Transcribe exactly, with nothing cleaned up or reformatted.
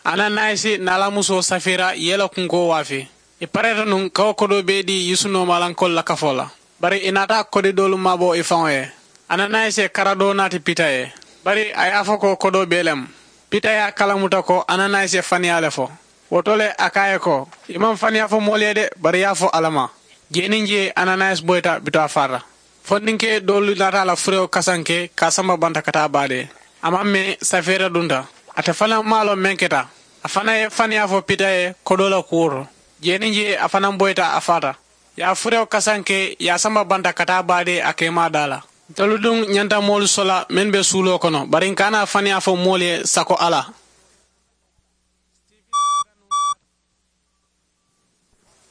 Ananayisi niŋ a la musoo safira ye i la kunkoo waafi. I pareeta nuŋ ka wo kodoo bee dii yusu noomaalankoolu la kafoo la. Bari i naata kodi doolu maabo i faŋo ye. Ananayisi ye kara doo naati pita ye. Bari a ye a fo ko kodoo bee le mu. Pita ye a kalamuta ko ananayisi ye faniyaa le fo. Wo to le a ko a ye ko, i maŋ faniyaa fo moolu ye de, bari i ye a fo alla ma. Jee niŋ jee ananayisi boyita bituŋ a faata. Fondinke doolu naata a la furewo kasanke ka a samba banta ka taa baadee. A maŋ mee safeera dunta. Ate fanaŋ maŋ a loŋ meŋ keta. A fanaŋ ye faniyaa fo pita ye kodoo la kuwo to. Jee niŋ jee a fanaŋ boyita a faata. I ye a furewo kasanke i ye a samba banta ka taa baadee a keemaa daa la. Ntolu duŋ ñanta moolu sola mennu be suuloo kono bari n ka a naa faniyaa fo moolu ye sako alla.